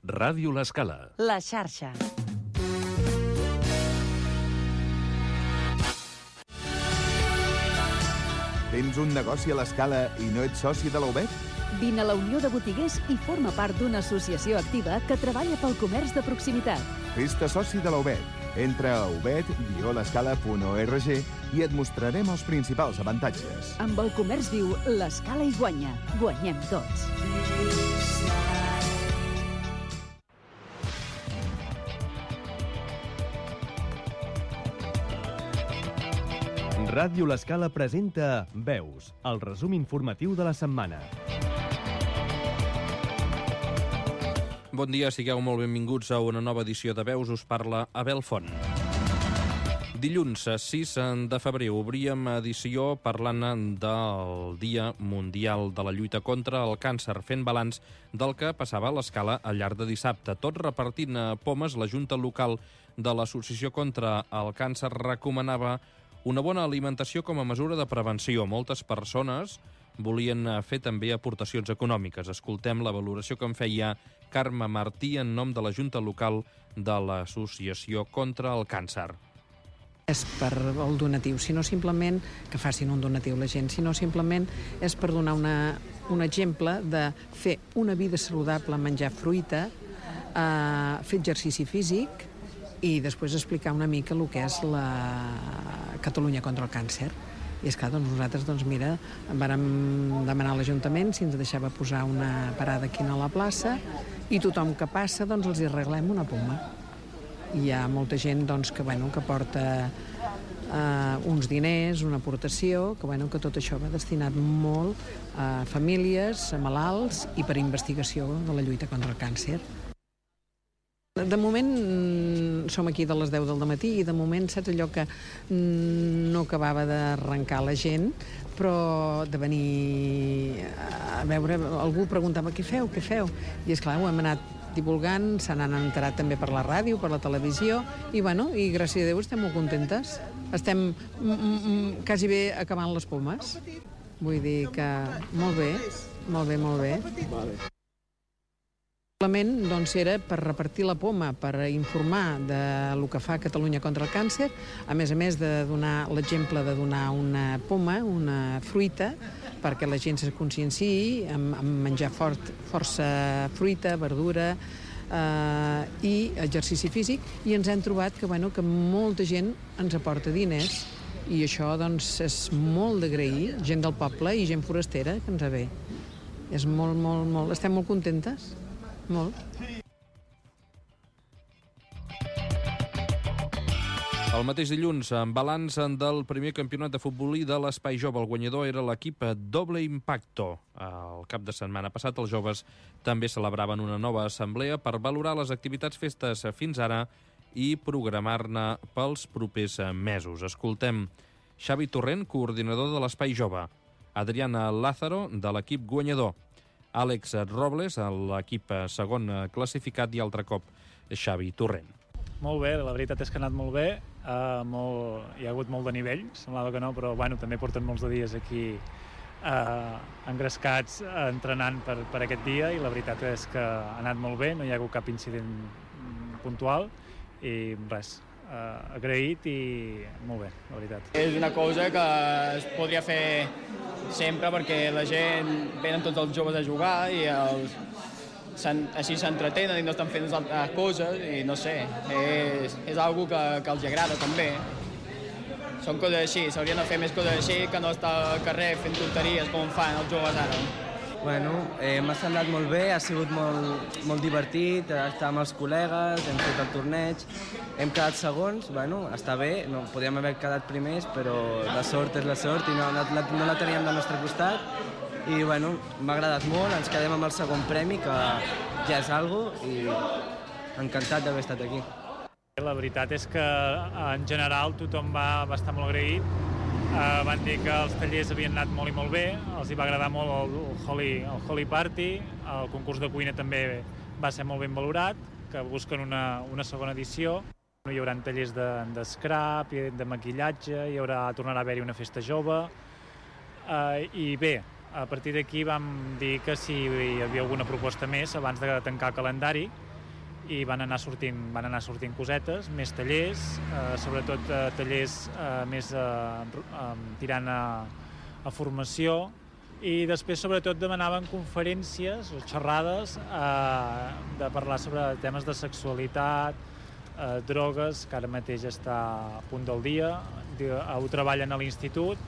Ràdio L'Escala. La xarxa. Tens un negoci a l'Escala i no ets soci de la UBET? Vine a la Unió de Botiguers i forma part d'una associació activa que treballa pel comerç de proximitat. Fes-te soci de la UBET. Entra a ubet-l'escala.org i et mostrarem els principals avantatges. Amb el comerç viu, l'Escala hi guanya. Guanyem tots. Ràdio L'Escala presenta Veus, el resum informatiu de la setmana. Bon dia, sigueu molt benvinguts a una nova edició de Veus. Us parla Abel Font. Dilluns 6 de febrer obríem edició parlant del Dia Mundial de la Lluita contra el Càncer, fent balanç del que passava a l'Escala al llarg de dissabte. Tot repartint pomes, la Junta Local de l'Associació contra el Càncer recomanava una bona alimentació com a mesura de prevenció. Moltes persones volien fer també aportacions econòmiques. Escoltem la valoració que en feia Carme Martí en nom de la Junta Local de l'Associació contra el Càncer. És per el donatiu, sinó simplement que facin un donatiu la gent, sinó simplement és per donar un exemple de fer una vida saludable, menjar fruita, fer exercici físic i després explicar una mica el que és la Catalunya contra el càncer. I esclar, doncs nosaltres, mira, vàrem demanar a l'Ajuntament si ens deixava posar una parada aquí a la plaça i tothom que passa, els hi arreglem una poma. Hi ha molta gent que porta uns diners, una aportació, que tot això va destinat molt a famílies, a malalts i per investigació de la lluita contra el càncer. De moment som aquí de les 10 del matí i de moment saps allò que no acabava d'arrencar la gent, però de venir a veure, algú preguntava què feu? I esclar, ho hem anat divulgant, se n'han enterat també per la ràdio, per la televisió, i gràcies a Déu estem molt contentes. Estem quasi bé acabant les pomes. Vull dir que molt bé. Vale. Simplement era per repartir la poma, per informar del que fa Catalunya contra el càncer, a més de donar l'exemple de donar una poma, una fruita, perquè la gent se conscienciï amb menjar força fruita, verdura i exercici físic, i ens hem trobat que molta gent ens aporta diners i això és molt d'agrair, gent del poble i gent forastera que ens ve. És molt, estem molt contentes. Molt. El mateix dilluns, en balanç del primer campionat de futbolí de l'Espai Jove. El guanyador era l'equip Doble Impacto. El cap de setmana passat, els joves també celebraven una nova assemblea per valorar les activitats festes fins ara i programar-ne pels propers mesos. Escoltem Xavi Torrent, coordinador de l'Espai Jove, Adriana Lázaro, de l'equip guanyador, Àlex Robles, l'equip segon classificat, i altre cop Xavi Torrent. Molt bé, la veritat és que ha anat molt bé, hi ha hagut molt de nivell, semblava que no, però també porten molts de dies aquí engrescats entrenant per aquest dia, i la veritat és que ha anat molt bé, no hi ha hagut cap incident puntual i res, agraït i molt bé, la veritat. És una cosa que es podria fer sempre perquè la gent venen tots els joves a jugar i així s'entretenen i no estan fent altres coses i no sé, és algo que els agrada també. Són coses així, s'haurien de fer més coses així que no estar al carrer fent tonteries com fan els joves ara. M'ha semblat molt bé, ha sigut molt divertit, estar amb els col·legues, hem fet el torneig, hem quedat segons, està bé, no podíem haver quedat primers, però la sort és la sort i no la teníem del nostre costat i m'ha agradat molt, ens quedem amb el segon premi, que ja és algo, i encantat d'haver estat aquí. La veritat és que en general tothom va estar molt agraït. Van dir que els tallers havien anat molt i molt bé, els hi va agradar molt el Holy Party, el concurs de cuina també va ser molt ben valorat, que busquen una segona edició. Hi haurà tallers de scrap, de maquillatge, tornarà a haver-hi una festa jove, i bé, a partir d'aquí vam dir que si hi havia alguna proposta més abans de tancar el calendari, i van anar sortint cosetes, més tallers, sobretot tallers més tirant a formació, i després sobretot demanaven conferències o xerrades de parlar sobre temes de sexualitat, drogues, que ara mateix està a punt del dia, ho treballen a l'institut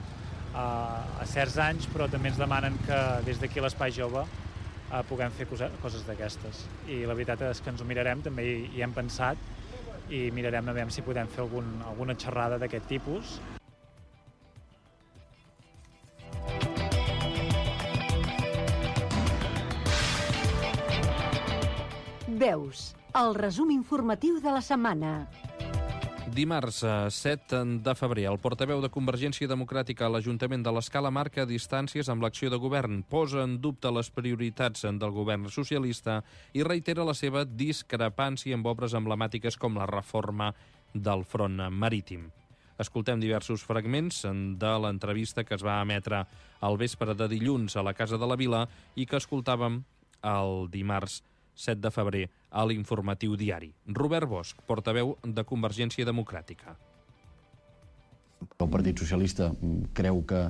a certs anys, però també ens demanen que des d'aquí a l'Espai Jove puguem fer coses d'aquestes. I la veritat és que ens ho mirarem, també hi hem pensat, i mirarem a veure si podem fer alguna xerrada d'aquest tipus. Veus, el resum informatiu de la setmana. Dimarts 7 de febrer, el portaveu de Convergència Democràtica a l'Ajuntament de l'Escala marca distàncies amb l'acció de govern, posa en dubte les prioritats del govern socialista i reitera la seva discrepància amb obres emblemàtiques com la reforma del front marítim. Escoltem diversos fragments de l'entrevista que es va emetre al vespre de dilluns a la Casa de la Vila i que escoltàvem el dimarts 7 de febrer a l'Informatiu Diari. Robert Bosch, portaveu de Convergència Democràtica. El Partit Socialista creu que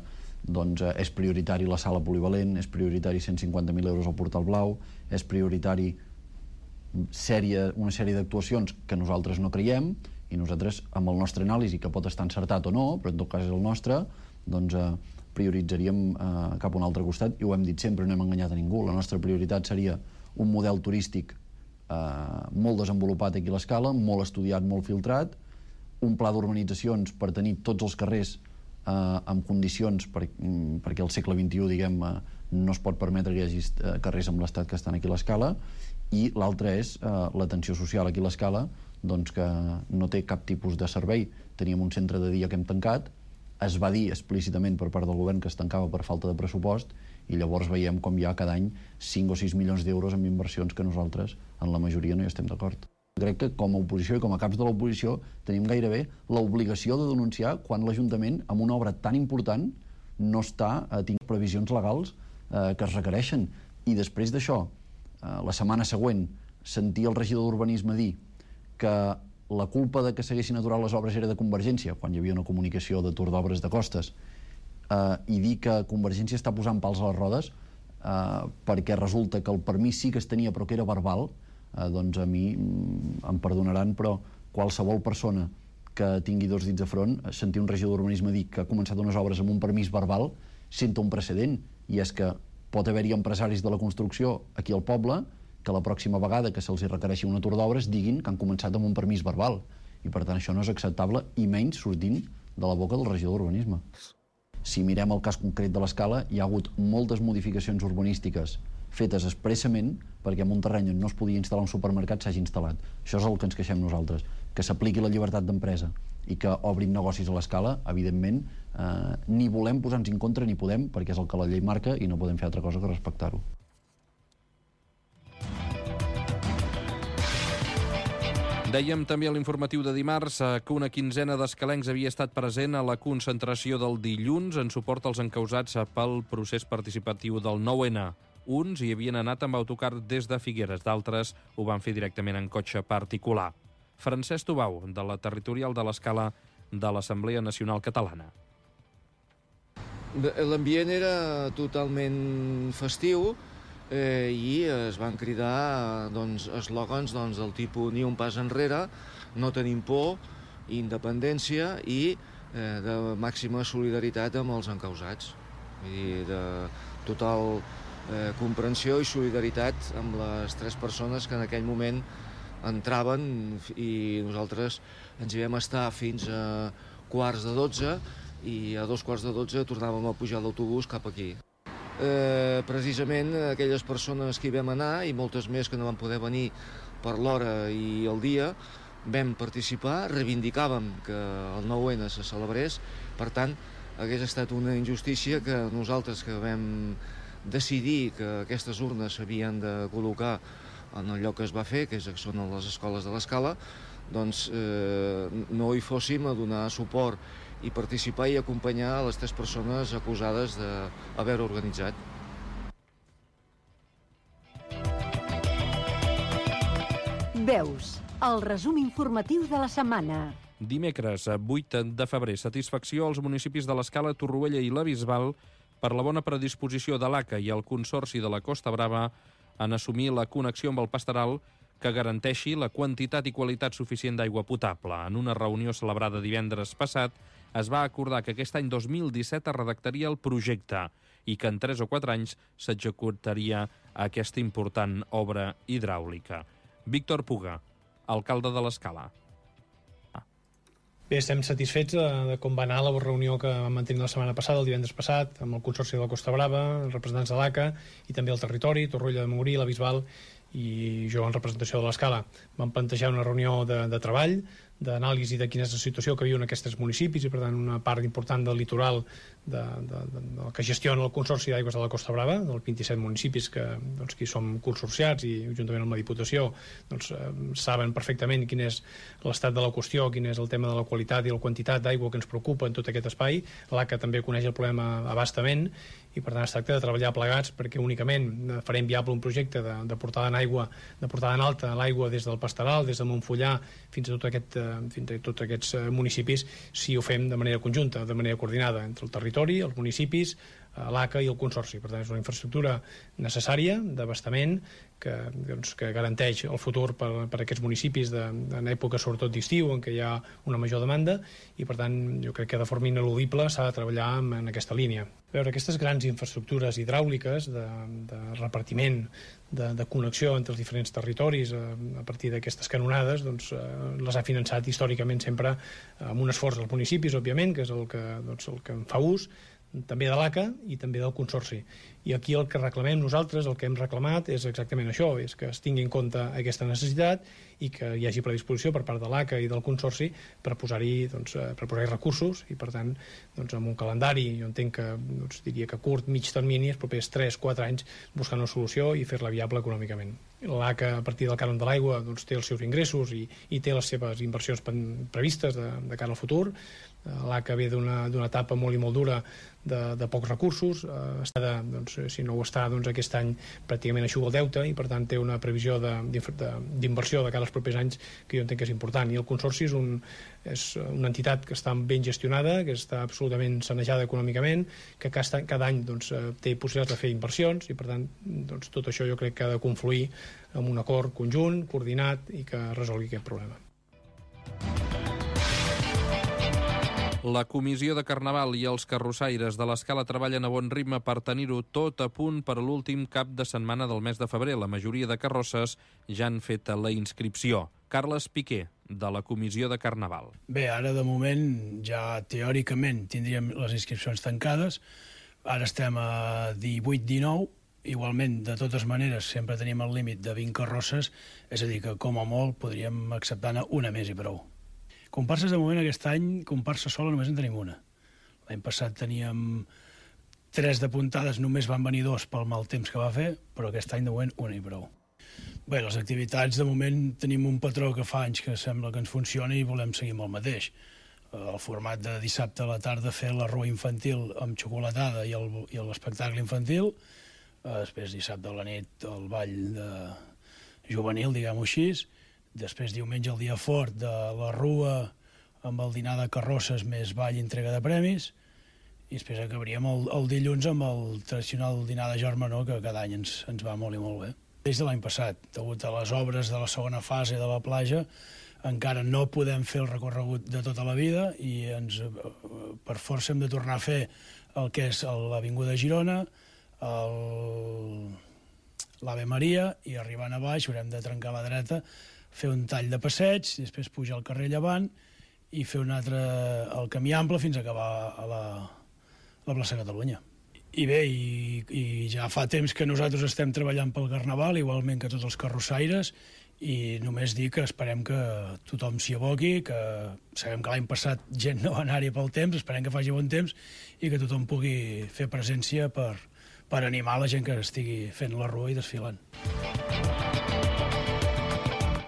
és prioritari la sala polivalent, és prioritari 150.000 euros al Portal Blau, és prioritari una sèrie d'actuacions que nosaltres no creiem, i nosaltres, amb el nostre anàlisi, que pot estar encertat o no, però en tot cas és el nostre, prioritzaríem cap a un altre costat, i ho hem dit sempre, no hem enganyat a ningú. La nostra prioritat seria un model turístic molt desenvolupat aquí a l'Escala, molt estudiat, molt filtrat, un pla d'urbanitzacions per tenir tots els carrers en condicions, perquè al segle XXI, diguem, no es pot permetre que hi hagi carrers amb l'estat que estan aquí a l'Escala, i l'altre és l'atenció social aquí a l'Escala, que no té cap tipus de servei. Teníem un centre de dia que hem tancat, es va dir explícitament per part del govern que es tancava per falta de pressupost, i llavors veiem com hi ha cada any 5 o 6 milions d'euros en inversions que nosaltres, en la majoria, no hi estem d'acord. Crec que com a oposició i com a caps de l'oposició tenim gairebé l'obligació de denunciar quan l'Ajuntament, amb una obra tan important, no està tinc previsions legals que es requereixen. I després d'això, la setmana següent, sentir el regidor d'Urbanisme dir que la culpa de que s'haguessin aturat les obres era de Convergència, quan hi havia una comunicació d'atur d'obres de costes, i dir que Convergència està posant pals a les rodes perquè resulta que el permís sí que es tenia però que era verbal, doncs a mi em perdonaran, però qualsevol persona que tingui dos dits de front, sentir un regidor d'Urbanisme dir que ha començat unes obres amb un permís verbal senta un precedent, i és que pot haver-hi empresaris de la construcció aquí al poble que la pròxima vegada que se'ls requereixi un atur d'obres diguin que han començat amb un permís verbal, i per tant això no és acceptable, i menys sortint de la boca del regidor d'Urbanisme. Si mirem el cas concret de l'Escala, hi ha hagut moltes modificacions urbanístiques fetes expressament perquè en un terreny on no es podia instal·lar un supermercat s'hagi instal·lat. Això és el que ens queixem nosaltres, que s'apliqui la llibertat d'empresa i que obrin negocis a l'Escala. Evidentment, ni volem posar-nos en contra ni podem, perquè és el que la llei marca i no podem fer altra cosa que respectar-ho. Dèiem també a l'informatiu de dimarts que una quinzena d'escalencs havia estat present a la concentració del dilluns en suport als encausats pel procés participatiu del 9-N. Uns hi havien anat amb autocar des de Figueres, d'altres ho van fer directament en cotxe particular. Francesc Tubau, de la territorial de l'Escala de l'Assemblea Nacional Catalana. L'ambient era totalment festiu, i es van cridar eslògans del tipus ni un pas enrere, no tenim por, independència i de màxima solidaritat amb els encausats. Vull dir, de total comprensió i solidaritat amb les tres persones que en aquell moment entraven, i nosaltres ens hi vam estar fins a 11:45 i a 11:45 tornàvem a pujar l'autobús cap aquí. Precisament aquelles persones que hi vam anar i moltes més que no van poder venir per l'hora i el dia vam participar, reivindicàvem que el 9-N se celebrés. Per tant, hagués estat una injustícia que nosaltres que vam decidir que aquestes urnes s'havien de col·locar en el lloc que es va fer, que són les escoles de l'Escala, doncs no hi fóssim a donar suport i participar i acompanyar les tres persones acusades d'haver organitzat. Veus, el resum informatiu de la setmana. Dimecres, 8 de febrer, satisfacció als municipis de l'Escala, Torroella i la Bisbal per la bona predisposició de l'ACA i el Consorci de la Costa Brava en assumir la connexió amb el Pasteral que garanteixi la quantitat i qualitat suficient d'aigua potable. En una reunió celebrada divendres passat, es va acordar que aquest any 2017 es redactaria el projecte i que en 3 o 4 anys s'executaria aquesta important obra hidràulica. Víctor Puga, alcalde de l'Escala. Bé, estem satisfets de com va anar la reunió que vam mantenir la setmana passada, el divendres passat, amb el Consorci de la Costa Brava, els representants de l'ACA i també el territori, Torroella de Montgrí, la Bisbal i jo en representació de l'Escala. Vam plantejar una reunió de treball, d'anàlisi de quina és la situació que viuen aquests municipis i, per tant, una part important del litoral que gestiona el Consorci d'Aigües de la Costa Brava, dels 27 municipis que hi som consorciats i, juntament amb la Diputació, saben perfectament quin és l'estat de la qüestió, quin és el tema de la qualitat i la quantitat d'aigua que ens preocupa en tot aquest espai. L'ACA també coneix el problema a bastament i, per tant, es tracta de treballar plegats perquè únicament farem viable un projecte de portada en aigua, de portada en alta l'aigua des del Pasteral, des de Montfullà fins a tots aquests municipis, si ho fem de manera conjunta, de manera coordinada entre el territori, els municipis, l'ACA i el Consorci. Per tant, és una infraestructura necessària d'abastament que garanteix el futur per a aquests municipis en època sobretot d'estiu en què hi ha una major demanda i, per tant, jo crec que de forma ineludible s'ha de treballar en aquesta línia. A veure, aquestes grans infraestructures hidràuliques de repartiment, de connexió entre els diferents territoris a partir d'aquestes canonades, les ha finançat històricament sempre amb un esforç dels municipis, òbviament, que és el que en fa ús, també de l'ACA i també del Consorci. I aquí el que reclamem nosaltres, el que hem reclamat, és exactament això, és que es tingui en compte aquesta necessitat i que hi hagi predisposició per part de l'ACA i del Consorci per posar-hi recursos i, per tant, amb un calendari, jo entenc que diria que curt, mig termini, els propers 3-4 anys, buscant una solució i fer-la viable econòmicament. L'ACA, a partir del cànon de l'aigua, té els seus ingressos i té les seves inversions previstes de cara al futur. L'ACA ve d'una etapa molt i molt dura de pocs recursos, si no ho està aquest any pràcticament eixuga el deute i, per tant, té una previsió d'inversió de cara als propers anys que jo entenc que és important. I el Consorci és una entitat que està ben gestionada, que està absolutament sanejada econòmicament, que cada any té possibilitats de fer inversions i, per tant, tot això jo crec que ha de confluir en un acord conjunt, coordinat i que resolgui aquest problema. La Comissió de Carnaval i els carrossaires de l'Escala treballen a bon ritme per tenir-ho tot a punt per a l'últim cap de setmana del mes de febrer. La majoria de carrosses ja han fet la inscripció. Carles Piqué, de la Comissió de Carnaval. Bé, ara de moment ja teòricament tindríem les inscripcions tancades. Ara estem a 18-19. Igualment, de totes maneres, sempre tenim el límit de 20 carrosses, és a dir, que com a molt podríem acceptar-ne una més i prou. Comparses, de moment, aquest any, comparsa sola només en tenim una. L'any passat teníem 3 d'apuntades, només van venir 2 pel mal temps que va fer, però aquest any, de moment, una i prou. Bé, les activitats, de moment, tenim un patró que fa anys que sembla que ens funciona i volem seguir amb el mateix. El format de dissabte a la tarda fer la rua infantil amb xocolatada i l'espectacle infantil, després dissabte a la nit el ball juvenil, diguem-ho així, després diumenge el dia fort de la rua amb el dinar de carrosses més ball i entrega de premis i després acabaríem el dilluns amb el tradicional dinar de germanor que cada any ens va molt i molt bé. Des de l'any passat, degut a les obres de la segona fase de la platja, encara no podem fer el recorregut de tota la vida i per força hem de tornar a fer el que és l'Avinguda Girona, l'Ave Maria i arribant a baix haurem de trencar a la dreta, fer un tall de passeig, després pujar al carrer Llevant i fer un altre al Camí Ample fins a acabar a la plaça Catalunya. I bé, i ja fa temps que nosaltres estem treballant pel Carnaval, igualment que tots els carrossaires, i només dir que esperem que tothom s'hi aboqui, que sabem que l'any passat gent no va anar-hi pel temps, esperem que faci bon temps i que tothom pugui fer presència per animar la gent que estigui fent la rua i desfilant.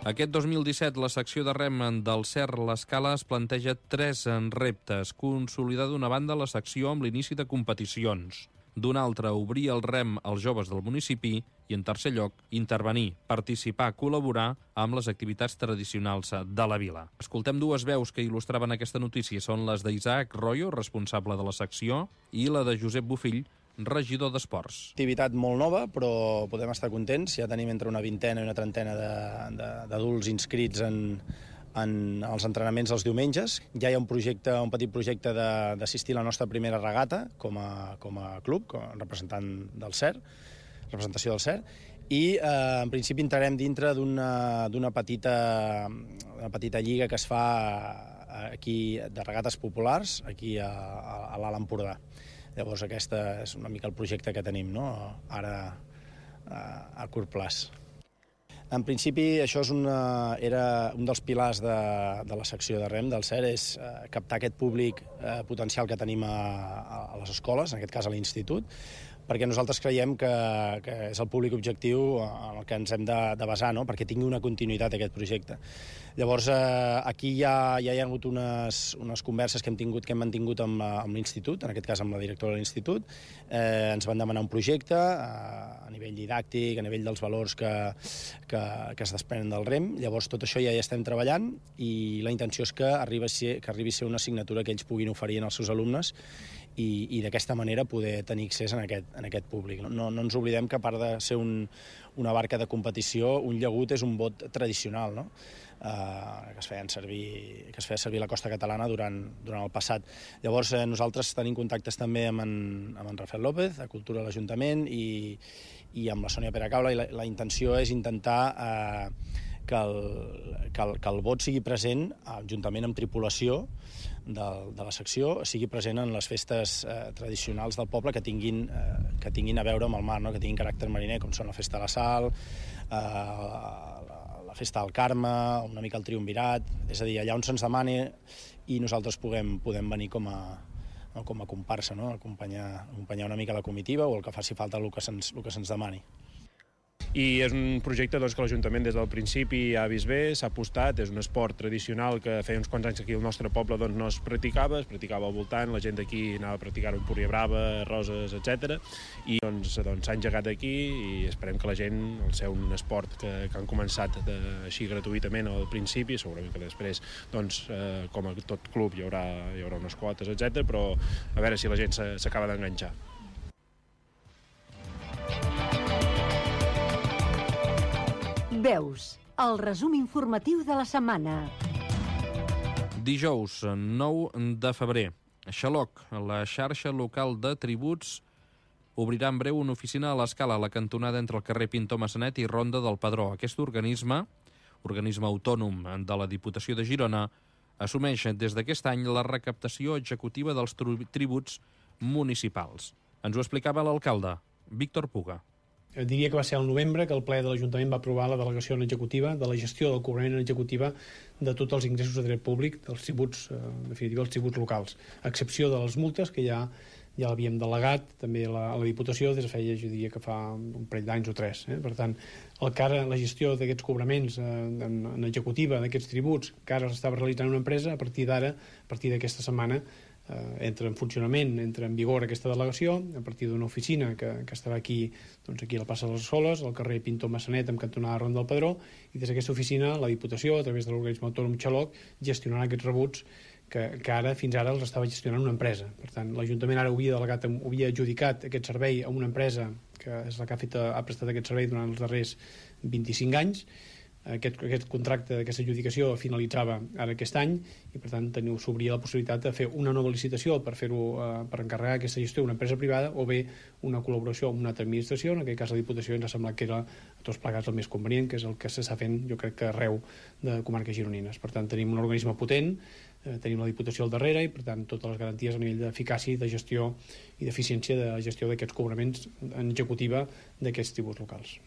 Aquest 2017, la secció de rem del Cer l'Escala es planteja 3 reptes. Consolidar d'una banda la secció amb l'inici de competicions. d'un altre, obrir el rem als joves del municipi i, en tercer lloc, intervenir, participar, col·laborar amb les activitats tradicionals de la vila. Escoltem dues veus que il·lustraven aquesta notícia. Són les d'Isaac Royo, responsable de la secció, i la de Josep Bofill, regidor d'Esports. Activitat molt nova, però podem estar contents. Ja tenim entre una vintena i una trentena d'adults inscrits en els entrenaments dels diumenges. Ja hi ha un petit projecte d'assistir a la nostra primera regata com a club, com a representació del CER, i en principi entrarem dintre d'una petita lliga que es fa aquí de regates populars, aquí a l'Alt Empordà. Llavors aquest és una mica el projecte que tenim, no? Ara a curt plaç. En principi, això era un dels pilars de la secció de rem del CER, és captar aquest públic potencial que tenim a les escoles, en aquest cas a l'institut, perquè nosaltres creiem que és el públic objectiu en el que ens hem de basar, no? Perquè tingui una continuïtat aquest projecte. Llavors, aquí ja hi ha hagut unes converses que hem mantingut amb l'institut, en aquest cas amb la directora de l'institut. Ens van demanar un projecte a nivell didàctic, a nivell dels valors que es desprenen del REM. Llavors, tot això ja hi estem treballant i la intenció és que arribi a ser una assignatura que ells puguin oferir als seus alumnes i d'aquesta manera poder tenir accés en aquest públic. No ens oblidem que, a part de ser una barca de competició, un llagut és un bot tradicional, no? Que es feia servir a la costa catalana durant el passat. Llavors, nosaltres tenim contactes també amb en Rafael López, a Cultura de l'Ajuntament, i amb la Sònia Peracaula, i la intenció és intentar que el vot sigui present, juntament amb tripulació de la secció, sigui present en les festes tradicionals del poble que tinguin a veure amb el mar, no? Que tinguin caràcter mariner, com són la Festa de la Sal, la Festa del Carme, una mica el Triumvirat, és a dir, allà on se'ns demani i nosaltres podem venir com a comparsa, no? Acompanyar una mica la comitiva o el que faci falta el que se'ns demani. I és un projecte que l'Ajuntament des del principi ha vist bé, s'ha apostat, és un esport tradicional que feia uns quants anys que aquí al nostre poble no es practicava al voltant, la gent d'aquí anava a practicar-ho en Púria Brava, Roses, etc. I s'ha engegat aquí i esperem que la gent, al ser un esport que han començat així gratuïtament al principi, segurament que després, com a tot club, hi haurà unes quotes, etc. Però a veure si la gent s'acaba d'enganxar. Veus, el resum informatiu de la setmana. Dijous, 9 de febrer. Xaloc, la xarxa local de tributs, obrirà en breu una oficina a l'Escala, a la cantonada entre el carrer Pintor Massanet i Ronda del Pedró. Aquest organisme autònom de la Diputació de Girona, assumeix des d'aquest any la recaptació executiva dels tributs municipals. Ens ho explicava l'alcalde, Víctor Puga. Diria que va ser al novembre que el ple de l'Ajuntament va aprovar la delegació en executiva de la gestió del cobrament en executiva de tots els ingressos de dret públic, dels tributs, en definitiva, els tributs locals, a excepció de les multes, que ja l'havíem delegat també a la Diputació des de feia, jo diria que fa un parell d'anys o 3. Per tant, la gestió d'aquests cobraments en executiva d'aquests tributs que ara s'estava realitzant una empresa, a partir d'aquesta setmana entra en funcionament, entra en vigor aquesta delegació, a partir d'una oficina que estarà aquí a la plaça de les Escoles, al carrer Pintor Massanet, amb cantonada Ronda del Pedró, i des d'aquesta oficina la Diputació, a través de l'organisme autònom Xaloc, gestionarà aquests rebuts que ara fins ara els estava gestionant una empresa. Per tant, l'Ajuntament ara havia adjudicat aquest servei a una empresa que és la que ha prestat aquest servei durant els darrers 25 anys. Aquest contracte, aquesta adjudicació finalitzava ara aquest any i per tant s'obria la possibilitat de fer una nova licitació per encarregar aquesta gestió a una empresa privada o bé una col·laboració amb una altra administració. En aquest cas la Diputació ens ha semblat que era a tots plegats el més convenient, que és el que s'està fent jo crec que arreu de comarques gironines. Per tant tenim un organisme potent, tenim la Diputació al darrere i per tant totes les garanties a nivell d'eficàcia, de gestió i d'eficiència de gestió d'aquests cobraments en executiva d'aquests tributs locals.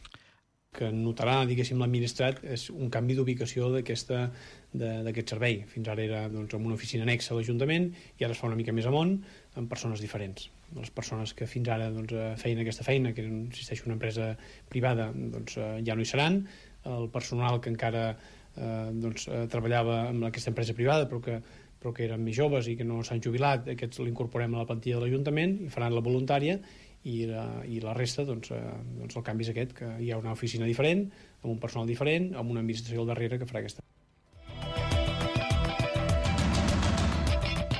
Que notarà, diguéssim, l'administrat és un canvi d'ubicació d'aquest servei. Fins ara era en una oficina anexa a l'Ajuntament i ara es fa una mica més amunt amb persones diferents. Les persones que fins ara feien aquesta feina, que era, insisteixo, una empresa privada, ja no hi seran. El personal que encara treballava amb aquesta empresa privada però que eren més joves i que no s'han jubilat, aquests l'incorporem a la plantilla de l'Ajuntament i faran la voluntària i la resta, doncs el canvi és aquest, que hi ha una oficina diferent, amb un personal diferent, amb una administració al darrere que farà aquesta.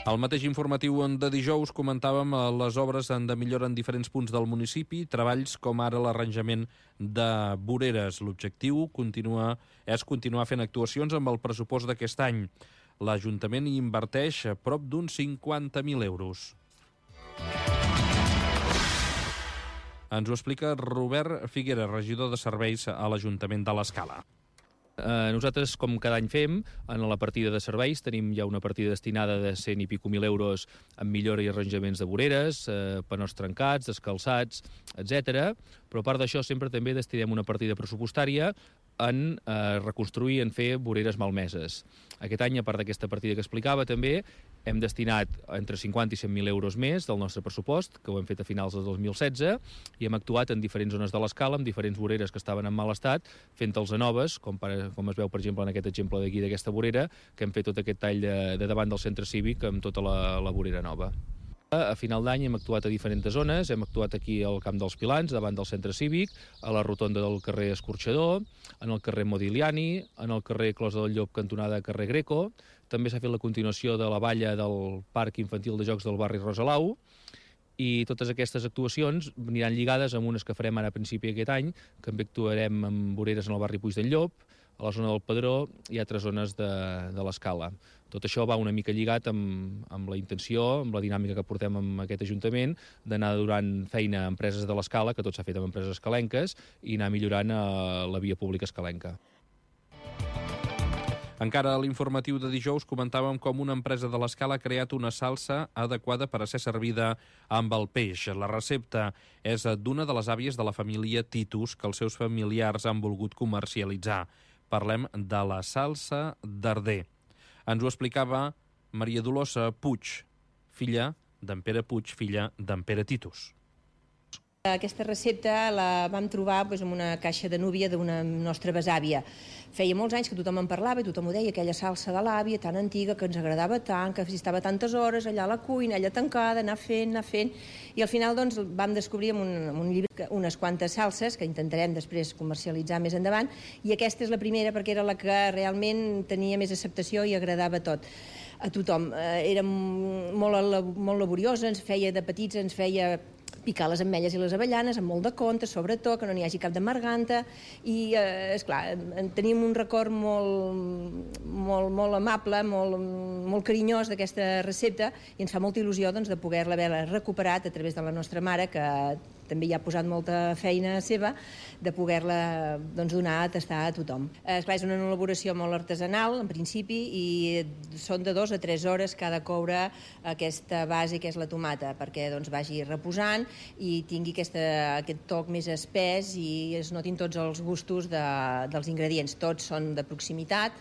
Al mateix informatiu de dijous comentàvem les obres de millora en diferents punts del municipi, treballs com ara l'arranjament de voreres. L'objectiu és continuar fent actuacions amb el pressupost d'aquest any. L'Ajuntament hi inverteix prop d'uns 50.000 euros. Ens ho explica Robert Figuera, regidor de serveis a l'Ajuntament de l'Escala. Nosaltres, com cada any fem, en la partida de serveis tenim ja una partida destinada de 100 i pico mil euros en millora i arranjaments de voreres, panors trencats, descalçats, etc. Però a part d'això sempre també destinem una partida pressupostària en reconstruir, en fer voreres malmeses. Aquest any, a part d'aquesta partida que explicava, també hem destinat entre 50 i 100.000 euros més del nostre pressupost, que ho hem fet a finals de 2016, i hem actuat en diferents zones de l'Escala, amb diferents voreres que estaven en mal estat, fent-los a noves, com es veu, per exemple, en aquest exemple d'aquí, d'aquesta vorera, que hem fet tot aquest tall de davant del centre cívic amb tota la vorera nova. A final d'any hem actuat a diferents zones, hem actuat aquí al Camp dels Pilans, davant del centre cívic, a la rotonda del carrer Escorxador, en el carrer Modigliani, en el carrer Closa del Llop, cantonada carrer Greco. També s'ha fet la continuació de la valla del Parc Infantil de Jocs del barri Rosalau, i totes aquestes actuacions aniran lligades amb unes que farem ara a principi d'aquest any, que també actuarem amb voreres en el barri Puig del Llop, a la zona del Pedró i altres zones de l'Escala. Tot això va una mica lligat amb la intenció, amb la dinàmica que portem amb aquest Ajuntament, d'anar donant feina a empreses de l'Escala, que tot s'ha fet amb empreses escalenques, i anar millorant la via pública escalenca. Encara a l'informatiu de dijous comentàvem com una empresa de l'Escala ha creat una salsa adequada per a ser servida amb el peix. La recepta és d'una de les àvies de la família Titus que els seus familiars han volgut comercialitzar. Parlem de la salsa d'Arder. Ens ho explicava Maria Dolors Puig, filla d'en Pere Puig, filla d'en Pere Titus. Aquesta recepta la vam trobar en una caixa de núvia d'una nostra besàvia. Feia molts anys que tothom en parlava i tothom ho deia, aquella salsa de l'àvia tan antiga que ens agradava tant, que estava tantes hores allà a la cuina, allà tancada, anar fent, i al final vam descobrir en un llibre unes quantes salses que intentarem després comercialitzar més endavant, i aquesta és la primera perquè era la que realment tenia més acceptació i agradava a tothom. Era molt laboriosa, de petits ens feia picar les ametlles i les avellanes amb molt de compte, sobretot, que no n'hi hagi cap d'amarganta, i, esclar, tenim un record molt amable, molt carinyós d'aquesta recepta, i ens fa molta il·lusió de poder-la haver recuperat a través de la nostra mare, que també hi ha posat molta feina seva, de poder-la donar a tastar a tothom. Esclar, és una elaboració molt artesanal, en principi, i són de 2 a 3 hores que ha de coure aquesta base, que és la tomata, perquè vagi reposant i tingui aquest toc més espès i es notin tots els gustos dels ingredients. Tots són de proximitat,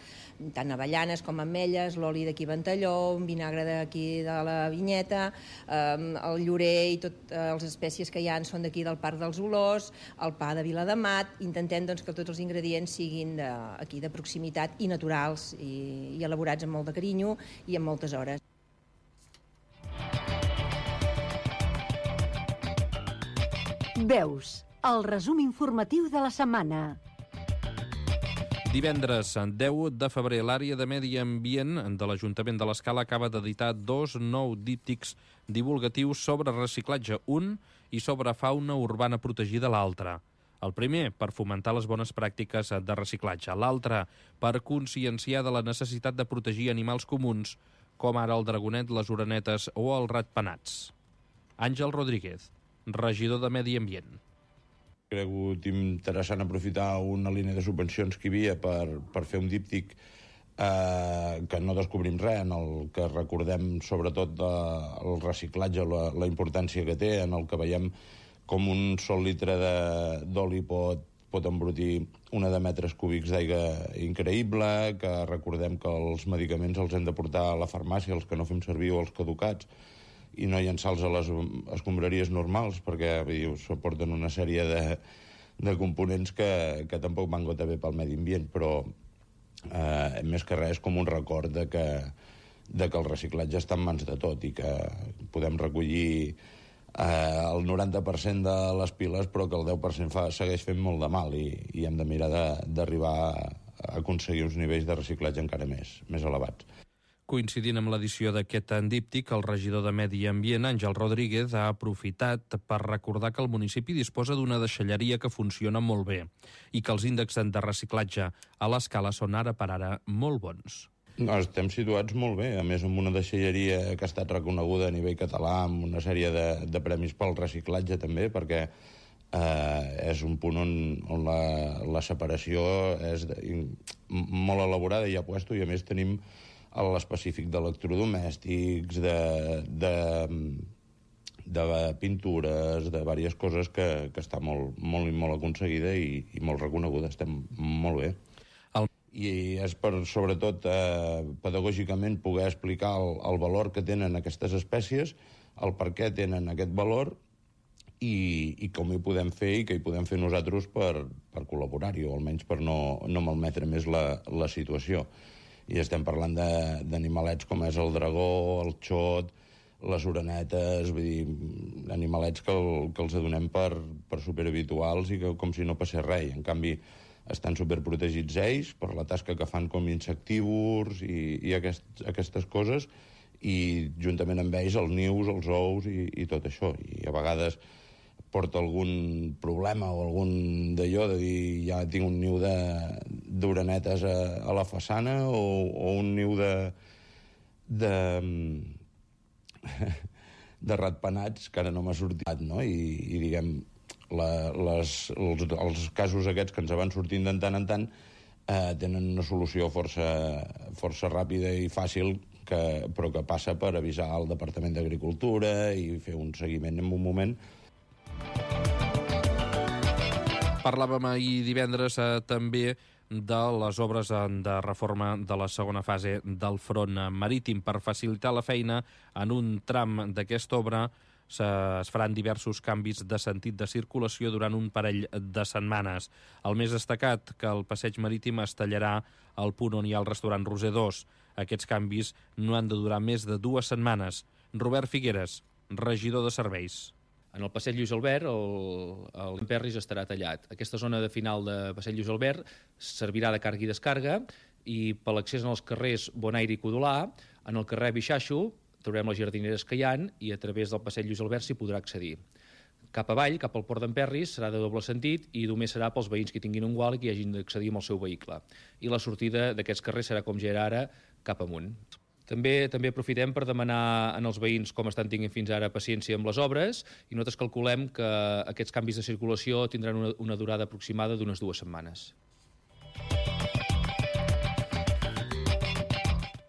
tant avellanes com ametlles, l'oli d'aquí Ventalló, un vinagre d'aquí de la Vinyeta, el llorer i totes les espècies que hi ha són d'aquí del Parc dels Olors, el pa de Viladamat. Intentem que tots els ingredients siguin d'aquí de proximitat i naturals i elaborats amb molt de carinyo i amb moltes hores. Veus, el resum informatiu de la setmana. Divendres 10 de febrer, l'àrea de Medi Ambient de l'Ajuntament de l'Escala acaba d'editar 2 nous díptics divulgatius sobre reciclatge, un i sobre fauna urbana protegida, l'altre. El primer, per fomentar les bones pràctiques de reciclatge. L'altre, per conscienciar de la necessitat de protegir animals comuns, com ara el dragonet, les orenetes o els ratpenats. Àngel Rodríguez, regidor de Medi Ambient. Ha cregut interessant aprofitar una línia de subvencions que hi havia per fer un díptic que no descobrim res, en el que recordem sobretot el reciclatge, la importància que té, en el que veiem com un sol litre d'oli pot embrutir 1 de metres cúbics d'aigua increïble, que recordem que els medicaments els hem de portar a la farmàcia, els que no fem servir o els caducats, i no llençar-los a les escombraries normals, perquè suporten una sèrie de components que tampoc van gota bé pel medi ambient, però més que res com un record de que el reciclatge està en mans de tot i que podem recollir el 90% de les piles, però que el 10% segueix fent molt de mal i hem de mirar d'arribar a aconseguir uns nivells de reciclatge encara més elevats. Coincidint amb l'edició d'aquest díptic, el regidor de Medi Ambient, Àngel Rodríguez, ha aprofitat per recordar que el municipi disposa d'una deixalleria que funciona molt bé i que els índexs de reciclatge a l'Escala són ara per ara molt bons. No, estem situats molt bé, a més amb una deixalleria que ha estat reconeguda a nivell català, amb una sèrie de premis pel reciclatge també, perquè és un punt on la separació és molt elaborada i a puesto, i a més tenim l'específic d'electrodomèstics, de pintures, de diverses coses que està molt aconseguida i molt reconeguda. Estem molt bé. I és per, sobretot, pedagògicament poder explicar el valor que tenen aquestes espècies, el per què tenen aquest valor i com hi podem fer i què hi podem fer nosaltres per col·laborar-hi, o almenys per no malmetre més la situació. I estem parlant d'animalets com és el dragó, el xot, les orenetes, vull dir, animalets que els adonem per superhabituals i que com si no passés res. En canvi, estan superprotegits ells per la tasca que fan com insectívors i aquestes coses, i juntament amb ells els nius, els ous i tot això. I a vegades porta algun problema o algun d'allò de dir ja tinc un niu d'orenetes a la façana o un niu de ratpenats que ara no m'ha sortit, no? I diguem, els casos aquests que ens van sortint de tant en tant tenen una solució força ràpida i fàcil, però que passa per avisar al Departament d'Agricultura i fer un seguiment en un moment. Parlàvem ahir divendres també de les obres de reforma de la segona fase del front marítim. Per facilitar la feina en un tram d'aquesta obra es faran diversos canvis de sentit de circulació durant un parell de setmanes. El més destacat, que el passeig marítim es tallarà al punt on hi ha el restaurant Roser 2. Aquests canvis no han de durar més de 2 setmanes. Robert Figueres, regidor de serveis. En el passeig Lluís Albert, el Perris estarà tallat. Aquesta zona de final de passeig Lluís Albert servirà de càrrega i descàrrega, i per l'accés als carrers Bonaire i Codolà, en el carrer Bixaixo, trobarem les jardineres que hi ha i a través del passeig Lluís Albert s'hi podrà accedir. Cap avall, cap al port d'en Perris, serà de doble sentit i només serà pels veïns que tinguin un gual i que hagin d'accedir amb el seu vehicle. I la sortida d'aquests carrers serà com ja era ara, cap amunt. També aprofitem per demanar als veïns, com estan tinguent fins ara, paciència amb les obres, i nosaltres calculem que aquests canvis de circulació tindran una durada aproximada d'unes 2 setmanes.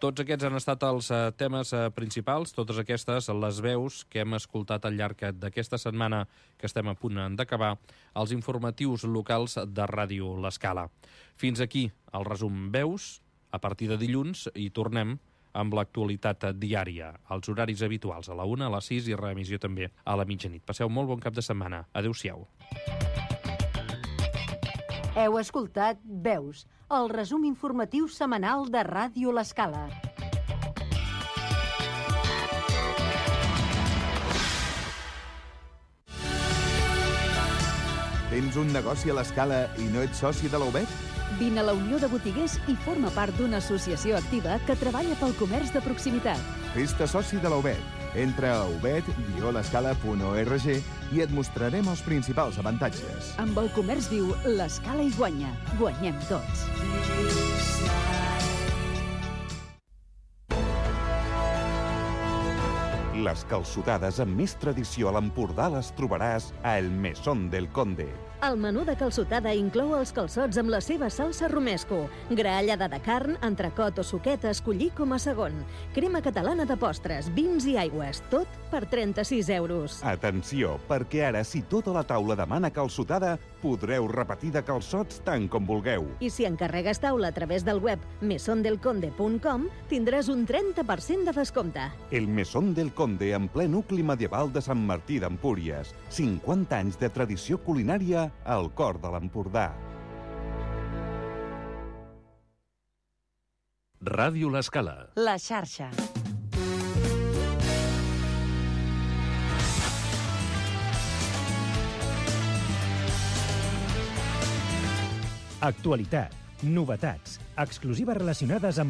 Tots aquests han estat els temes principals, totes aquestes les veus que hem escoltat al llarg d'aquesta setmana que estem a punt d'acabar, els informatius locals de Ràdio L'Escala. Fins aquí el resum veus. A partir de dilluns hi tornem amb l'actualitat diària, als horaris habituals, a la 1, a les 6 i reemissió també a la mitjanit. Passeu molt bon cap de setmana. Adéu-siau. Heu escoltat Veus, el resum informatiu setmanal de Ràdio L'Escala. Tens un negoci a l'Escala i no ets soci de la UBET? Vine a la Unió de Botiguers i forma part d'una associació activa que treballa pel comerç de proximitat. Fes-te soci de la UBET. Entra a ubet-l'escala.org i et mostrarem els principals avantatges. Amb el comerç viu, l'Escala hi guanya. Guanyem tots. Les calçotades amb més tradició a l'Empordà les trobaràs a El Mesón del Conde. El menú de calçotada inclou els calçots amb la seva salsa romesco, graellada de carn, entrecot o suquet a escollir com a segon, crema catalana de postres, vins i aigües, tot per 36 euros. Atenció, perquè ara, si tota la taula demana calçotada, podreu repetir de calçots tant com vulgueu. I si encarregues taula a través del web mesondelconde.com, tindràs un 30% de descompte. El Mesón del Conde, en ple nucli medieval de Sant Martí d'Empúries. 50 anys de tradició culinària al cor de l'Empordà. Ràdio L'Escala. La xarxa. Actualitat, novetats, exclusives relacionades amb